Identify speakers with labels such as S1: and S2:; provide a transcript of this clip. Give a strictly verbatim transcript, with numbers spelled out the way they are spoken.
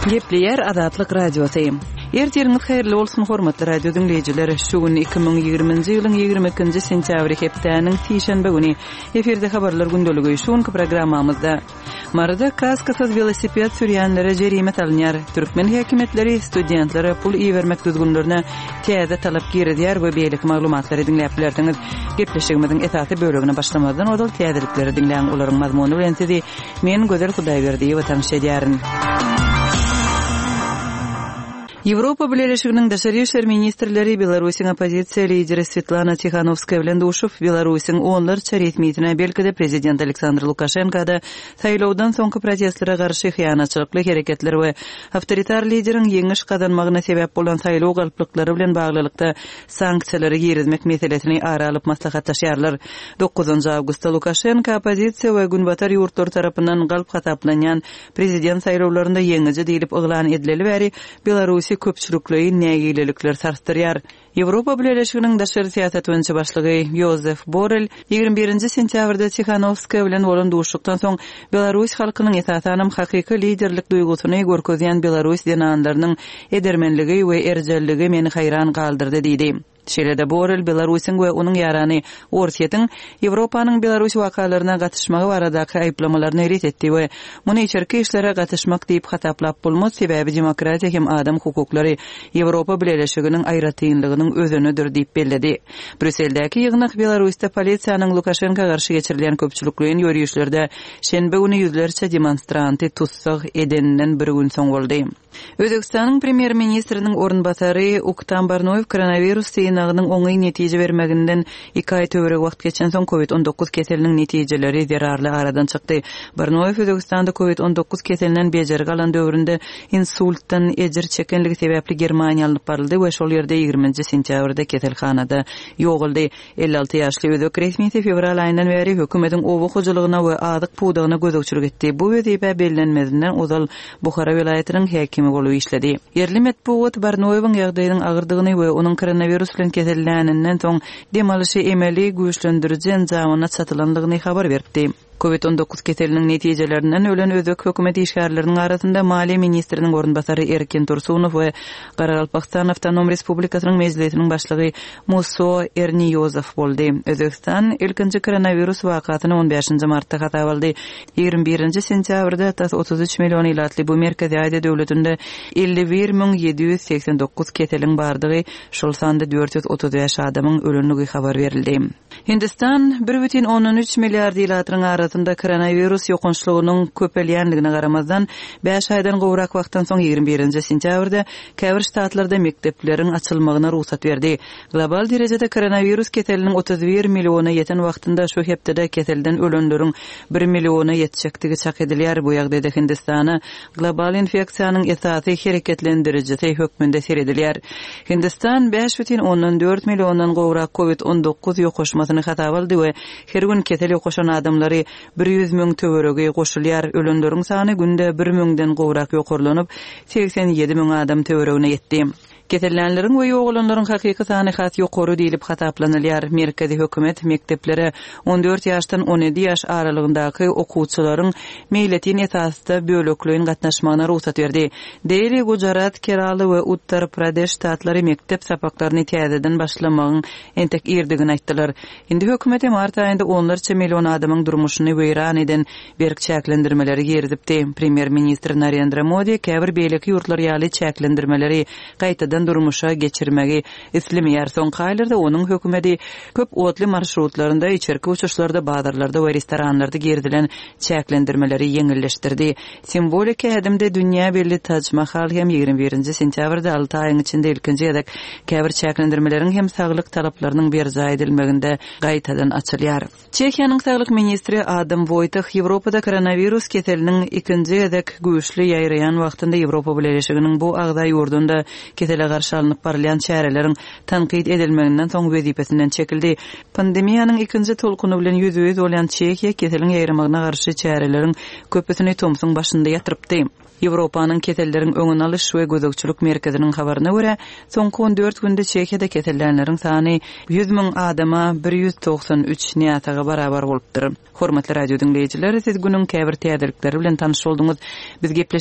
S1: Gepleýär Azatlyk Radiosy. Ertiriňiz haýyrly bolsun, hormatly radio diňleýjiler. Şu gün iki müň ýigriminji ýylyň ýigrimi ikinji sentýabry hepdäniň sişenbe güni. Efirde habarlar gündeligi. Şu günki programmamyzda Maryda kaskasyz welosiped sürýänlere jerime salynýar. Türkmen häkimiýetleri studentlere pul ibermek düzgünlerine täze talap girizýär we beýleki maglumatlary diňläp bilersiňiz. Gepleşigimiziň esasy bölegine başlamazdan ozal täzelikleri diňläň, olaryň mazmuny bilen sizi men Gözel Hudaýberdiýewa tanyş edýärin. Ýewropa Bileleşiginiň daşary işler ministrleri Belarusyň oppozisiýa lideri Svetlana Tihanowskaýa bilen duşup, Belarusyň onlarça resmisine, belki-de prezident Aleksandr Lukaşenka-da saýlawdan soňky protestlere garşy hyýanatçylykly hereketler we awtoritar lideriň ýeňiş gazanmagyna sebäp bolan saýlaw galplyklary bilen baglylykda sanksiýalary girizmek meselesini ara alyp maslahatlaşýarlar. Dokuzynjy awgustda Lukaşenka oppozisiýa we günbatar ýurtlary tarapyndan galp hasaplanýan prezident saýlawlarynda ýeňiji diýlip yglan edileli bäri Belarusy köpçülikleýin nägilelikler sarsdyrýar. Ýewropa Bileleşiginiň daşary syýasat boýunça başlygy Ýozef Borrell ýigrimi birinji sentýabrda Tihanowskaýa bilen bolan duşuşykdan soň Belarus halkynyň esasanam hakyky liderlik duýgusyny görkezýän belarus zenanlarynyň edermenligi we erjelligi meni haýran galdyrdy diýdi. Şeýle-de Borrell Belarusyň we onuň ýarany Orsýetiň Ýewropanyň Belarus wakalaryna gatyşmagy baradaky aýyplamalaryny ret etdi we muny içerki işlere gatyşmak diýip hasaplap bolmaz, sebäbi demokratiýa hem adam hukuklary Ýewropa Bileleşiginiň aýratynlygynyň özenidir diýip belledi. Brýusseldäki ýygnak Belarusda polisiýanyň Lukaşenka garşy geçirilýän köpçülikleýin ýörişlerde şenbe güni ýüzlerçe demonstranty tussag edeninden bir gün soň boldy. Özbegistanyň premýer-ministriniň orunbasary Uktam Barnoýew koronawirus synagynyň oňyn netije bermeginden iki aý töweregi wagt geçensoň covid on dokuz keseliniň netijeleri zerarly aradan çykdy. Barnoýew Özbegistanda covid on dokuz keselinden bejergi alan döwründe insultdan ejir çekenligi sebäpli Germaniýa alnyp baryldy we şol ýerde ýigriminji sentýabrda keselhanada ýogaldy. Elli alty ýaşly özbek resmisi fewral aýyndan bäri hökümetiň oba hojalygyna we azyk pudagyna gözegçilik etdi. Bu wezipä bellenmezinden ozal Buhara welaýatynyň häkimi bolup işledi. Ýerli metbugat Barnoýewiň ýagdaýynyň agyrdygyny we onuň koronawirus bilen keselläninden soň dem alyşy emeli güýçlendiriji enjamyna çatylandygyny habar beripdi. Covid on dokuz keseliniň netijelerinden ölen özbek hökümet işgärleriniň arasynda maliýe ministriniň orunbasary Erkin Tursunow we Garagalpakistan Awtonom Respublikasynyň mejlisiniň başlygy Muso Erniýozow boldy. Özbegistan ilkinji koronawirus wakasyny on bäşinji martda hasap aldy. Ýigrimi birinji sentýabrda tas otuz üç million ilatly bu Merkezi Aziýa döwletinde elli bir müň ýedi ýüz segsen dokuz keseliň bardygy, şol sanda dört ýüz otuz bäş adamyň ölendigi habar berildi. Hindistan bir bütin ondan üç milliard ilatynyň arasynda koronawirus ýokançlygynyň köpelýändigine garamazdan, bäş aýdan gowrak wagtdan soň ýigrimi birinji sentýabrda käbir ştatlarda mekdepleriň açylmagyna rugsat berdi. Global derejede koronawirus keseliniň otuz bir milliona ýeten wagtynda şu hepdede keselden ölenleriň bir milliona ýetjekdigi çak edilýär. Bu ýagdaýda Hindistana global infeksiýanyň esasy hereketlendirijisi hökmünde seredilýär. Hindistan bäş bütin ondan dört milliondan gowrak covid on dokuz ýokaşmasyny hasap aldy we her gün kesel ýokaşan adamlary bir ýüz müň töweregi goşulýar. Ölenleriň sany günde bir müňden gowrak ýokarlanyp, segsen ýedi müň adam töweregine ýetdi. Kesellänleriň we ýogalanlaryň hakyky sany has ýokary diýlip hasaplanylýar. Merkezi hökümet mekdeplere on dört ýaşdan on ýedi ýaş aralygyndaky okuwçylaryň meýletin esasda bölekleýin gatnaşmagyna rugsat berdi. Deli, Gujarat, Kerala we Uttar Pradeş ştatlary mekdep sapaklaryny täzeden başlamagyň entek irdigini aýtdylar. Indi hökümeti mart aýynda onlarça million adamyň durmuşyny weýran eden berk çäklendirmeleri girizipdi. Premýer-ministr Narendra Modi käbir beýleki ýurtlar ýaly çäklendirmeleri gaýtadan durmuşa geçirmegi islemeýär. Soňky aýlarda onuň hökümeti köp otly marşrutlarynda, içerki uçuşlarda, bazarlarda we restoranlarda girizilen çäklendirmeleri ýeňilleşdirdi. Simwolik ädimde dünýä belli Taj Mahal hem ýigrimi birinji sentýabrda alty aýyň içinde ilkinji gezek käbir çäklendirmeleriň hem saglyk talaplarynyň berjaý edilmeginde gaýtadan açylýar. Çehiýanyň saglyk ministri Adam Wojtah Ýewropada koronawirus keseliniň ikinji gezek güýçli ýaýraýan wagtynda Ýewropa Bileleşiginiň bu agza ýurdunda kesele garşy alnyp barylýan çäreleriň tankyt edilmeginden soň wezipesinden çekildi. Pandemiýanyň ikinji tolkuny bilen ýüzbe-ýüz bolýan Çehiýa keseliň ýaýramagyna garşy çäreleriň köpüsini tomsuň başynda ýatyrypdy. Ýewropanyň keselleriň öňüni alyş we gözegçilik merkeziniň habaryna görä, soňky on dört günde Çehiýada kesellänleriň sany ýüz müň adama bir ýüz togsan üç näsaga barabar bolupdyr. Hormatly radio diňleýjiler, siz günüň käbir täzelikleri bilen tanyş bolduňyz. Biz gepleşik